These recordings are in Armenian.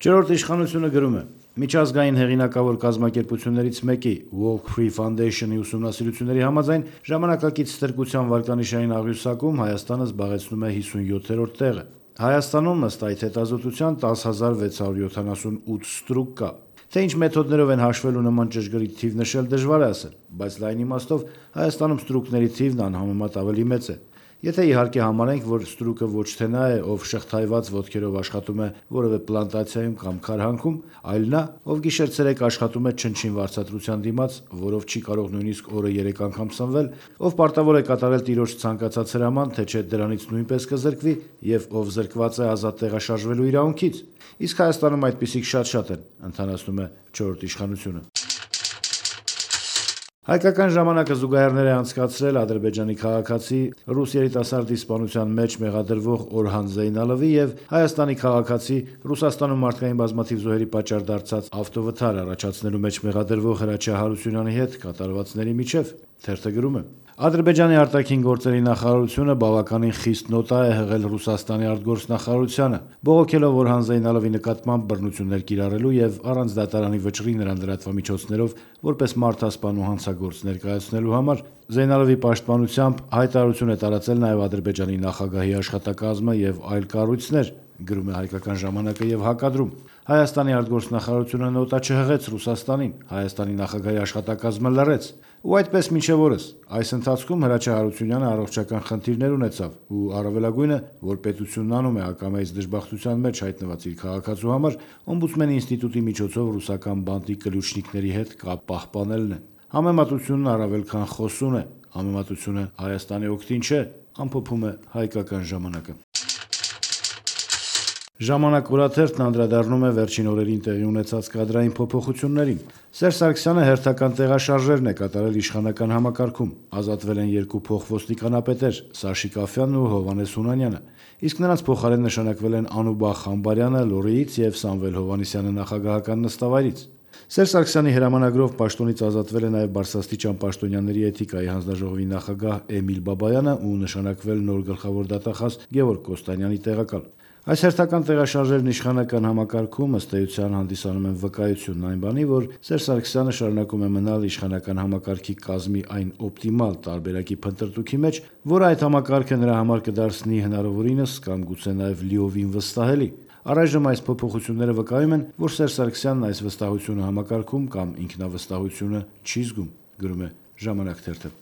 Չորրորդ իշխանությունը գրում է. Միջազգային հեղինակավոր կազմակերպություններից մեկի Walk Free Foundation-ի ուսումնասիրությունների համաձայն ժամանակակից ստրկության վարկանիշային աղյուսակում Հայաստանը զբաղեցնում է 57-րդ տեղը։ Հայաստանում ըստ այդ հետազոտության 10,678 ստրուկ կա։ Թե ինչ մեթոդներով են հաշվելու նման ճշգրիտ թիվ նշել դժվար է ասել, բայց լայն իմաստով Հայաստանում ստրուկների թիվն անհամեմատ ավելի մեծ է։ Եթե իհարկե համարենք, որ ստրուկը ոչ թե նա է, ով շղթայված ոտքերով աշխատում է որևէ պլանտացիայում կամ քարհանքում, այլ նա, ով գիշեր-ցերեկ աշխատում է չնչին վարձատրության դիմաց, որով չի կարող նույնիսկ օրը 3 անգամ սնվել, ով պարտավոր է կատարել տիրոջ ցանկացած հրաման, թե չէ դրանից նույնպես կզրկվի, եւ ով զրկված է ազատ տեղաշարժվելու իրավունքից։ Իսկ Հայաստանում այդպիսիք շատ են, ընդհանրացնում է չորրորդ իշխանությունը։ Հայկական ժամանակը զուգահեռներ է անցկացրել Ադրբեջանի քաղաքացի ռուս երիտասարդի սպանության մեջ մեղադրվող Օրհան Զեյնալովի եւ Հայաստանի քաղաքացի Ռուսաստանում մարդկային բազմաթիվ զոհերի պատճառ դարձած ավտովթար առաջացնելու մեջ մեղադրվող Հրաչյա Հարությունյանի հետ կատարվածների միջև։ Թերթը գրում է. Ադրբեջանի արտաքին գործերի նախարարությունը բավականին խիստ նոտա է հղել Ռուսաստանի արտգործնախարարությանը, բողոքելով Օրհան Զեյնալովի նկատմամբ բռնություններ կիրառելու եւ առանց դատարանի վճռի նրան լրատվամիջոցներով որպես մարդասպան ու հանցագործ ներկայացնելու համար։ Զեյնալովի պաշտպանությամբ հայտարարություն է տարածել նաեւ Ադրբեջանի նախագահի աշխատակազմը եւ այլ կառույցներ, գրում է Հայկական ժամանակը եւ հակադրում. Հայաստանի արտգործնախարարությունը նոտա չհղեց Ռուսաստանին, Հայաստանի նախագահի աշխատակազմը լռեց, ու այդպես մինչև օրս։ Այս ընթացքում Հրաչյա Հարությունյանը առողջական խնդիրներ ունեցավ, ու առավելագույնը, որ պետությունն անում է ակամայից դժբախտության մեջ հայտնված իր քաղաքացու համար, օմբուդսմենի ինստիտուտի միջոցով ռուսական բանտի կլյուչնիկների հետ կապ պահպանելն է։ Համեմատությունն առավել քան խոսուն է, համեմատությունը Հայաստանի օգտին չէ, ամփոփում է Հայկական ժամանակը։ Ժամանակ օրաթերթն անդրադառնում է վերջին օրերին տեղի ունեցած կադրային փոփոխություններին։ Սերժ Սարգսյանը հերթական տեղաշարժերն է կատարել իշխանական համակարգում։ Ազատվել են 2 փոխոստիկանապետեր՝ Սաշիկ Աֆյանն ու Հովհաննես Հունանյանը, իսկ նրանց փոխարեն նշանակվել են Անուբախ Խամբարյանը Լոռիից եւ Սամվել Հովհաննիսյանը նախագահական նստավայրից։ Սերժ Սարգսյանի հրամանագրով պաշտոնից ազատվել է նաև Բարսաստիճան պաշտոնյաների էթիկայի հանձնաժողովի նախագահ Էմիլ Բաբայանը ու նշանակվել նոր գլխավոր դատախազ Գևորգ Կոստանյանի տեղակալ։ Այս հերթական տեղաշարժերն իշխանական համակարգում ըստ էության հանդիսանում են վկայությունն այն բանի, որ Սերժ Սարգսյանը շարունակում է մնալ իշխանական համակարգի կազմի այն օպտիմալ տարբերակի փնտրտուքի մեջ, որը այդ համակարգը նրա համար կդարձնի հնարավորինս կամ գուցե նաև լիովին վստահելի։ Առայժմ այս փոփոխությունները վկայում են, որ Սերժ Սարգսյանն այս վստահությունը համակարգում կամ ինքնավստահությունը չի զգում, գրում է Ժամանակ թերթը։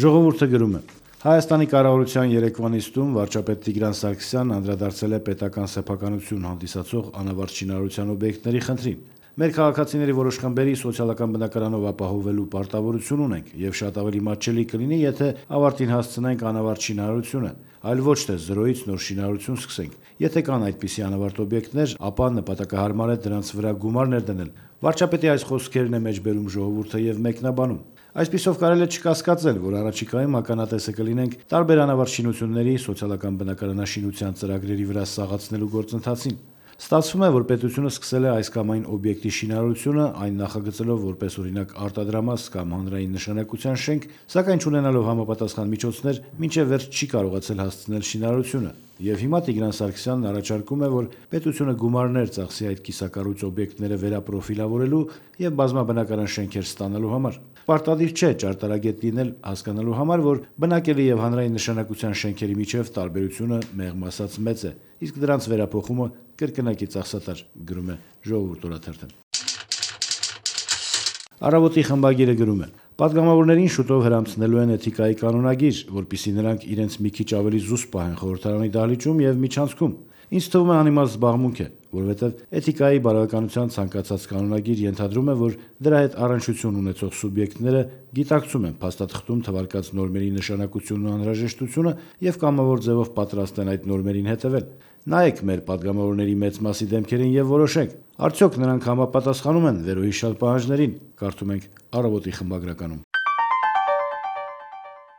Ժողովուրդը գրում է. Հայաստանի կառավարության երեկվա նիստում վարչապետ Տիգրան Սարգսյանն անդրադարձել է պետական սեփականություն հանդիսացող անավարտ շինարարության օբյեկտների խնդրին։ Մեր քաղաքացիների որոշ խմբերի սոցիալական բնակարանով ապահովելու պարտավորություն ունենք եւ շատ ավելի մատչելի կլինի, եթե ավարտին հասցնենք անավարտ շինարարությունը, այլ ոչ թե զրոյից նոր շինարարություն սկսենք։ Եթե կան այդպիսի անավարտ օբյեկտներ, ապա նպատակահարմար է դրանց վրա գումարներ դնել։ Վարչապետի այս խոսքերն է մեջբերում ժողովուրդը եւ մեկնաբանում։ Այսպիսով կարելի է չկասկածել, որ առաջիկայում ականատեսը կլինենք տարբեր անավարտ շինությունների սոցիալական բնակարանաշինության ծրագրերի վրա սաղացնելու գործընթացին։ Ստացվում է, որ պետությունը սկսել է այս կամ այն օբյեկտի շինարարությունը, այն նախագծելով որպես օրինակ արտադրամաս կամ հանրային նշանակության շենք, սակայն չունենալով համապատասխան միջոցներ, մինչև վերջ չի կարողացել հասցնել շինարարությունը։ Եվ հիմա Տիգրան Սարգսյանն առաջարկում է, որ պետությունը գումարներ ծախսի այդ կիսակառույց օբյեկտները վերապրոֆիլավորելու եւ բազմաբնակարան շենքեր ստանալու համար։ Պարտադիր չէ ճարտարագետ լինել հասկանալու համար, որ բնակելի եւ հանրային նշանակության շենքերի միջև տարբերությունը մեղմ ասած մեծ է, իսկ դրանց վերափոխումը կրկնակի ծախսատար, գրում է Ժողովուրդ օրաթերթը։ Առավոտի խմբագիրը գրում է. Պատգամավորներին շուտով հրամցնելու են էթիկայի կանոնագիր, որպեսզի նրանք իրենց մի քիչ ավելի զուսպ պահեն խորհրդարանի դահլիճում եւ միջանցքում։ Ինձ թվում է անիմաստ զբաղմունք է, որովհետև էթիկայի բարոյականության ցանկացած կանոնագիր ենթադրում է, որ դրա հետ առնչություն ունեցող սուբյեկտները գիտակցում են փաստաթղթում թվարկած նորմերի նշանակությունն ու անհրաժեշտությունը եւ կամավոր ձևով պատրաստ են այդ նորմերին հետևել։ Նայեք մեր պատգամավորների մեծ մասի դեմքերին եւ որոշեք, արդյոք նրանք համապատասխանում են վերոհիշյալ պահանջներին, կարդում ենք Առավոտի խմբագրականում։